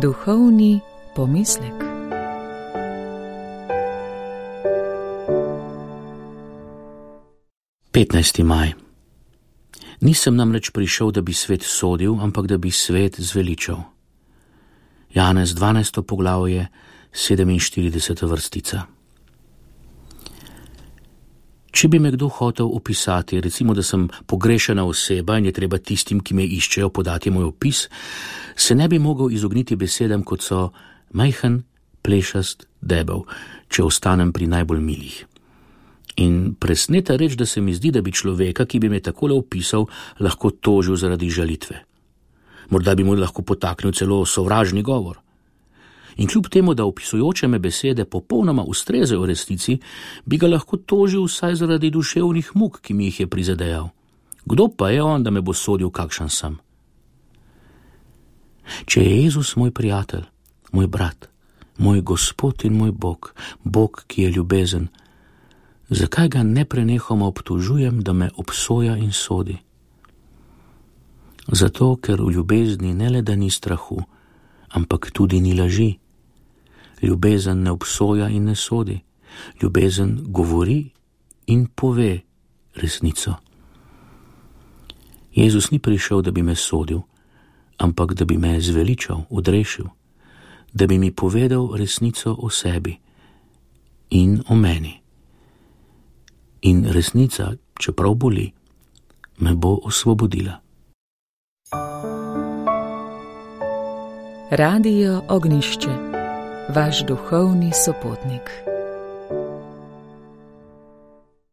Duhovni pomislek. Maj. Nisem namreč prišel, da bi svet sodil, ampak da bi svet zveličal. Janez 12. poglavje, 47. vrstica. Če bi me kdo hotel opisati, recimo, da sem pogrešana oseba in je treba tistim, ki me iščejo, podati moj opis, se ne bi mogel izogniti besedam, kot so majhen, plešast, debel, če ostanem pri najbolj milih. In presneta reč, da se mi zdi, da bi človeka, ki bi me takole opisal, lahko tožil zaradi žalitve. Morda bi mu lahko potaknil celo sovražni govor. In kljub temu, da opisujoče me besede popolnoma ustrezajo resnici, bi ga lahko tožil vsaj zaradi duševnih muk, ki mi jih je prizadejal. Kdo pa je on, da me bo sodil, kakšen sem? Če je Jezus moj prijatelj, moj brat, moj Gospod in moj Bog, Bog, ki je ljubezen, zakaj ga neprenehoma obtožujem, da me obsoja in sodi? Zato, ker v ljubezni ne le da ni strahu, ampak tudi ni laži. Ljubezen ne obsoja in ne sodi. Ljubezen govori in pove resnico. Jezus ni prišel, da bi me sodil, ampak da bi me zveličal, odrešil, da bi mi povedal resnico o sebi in o meni. In resnica, čeprav boli, me bo osvobodila. Radio Ognišče, vaš duhovni sopotnik.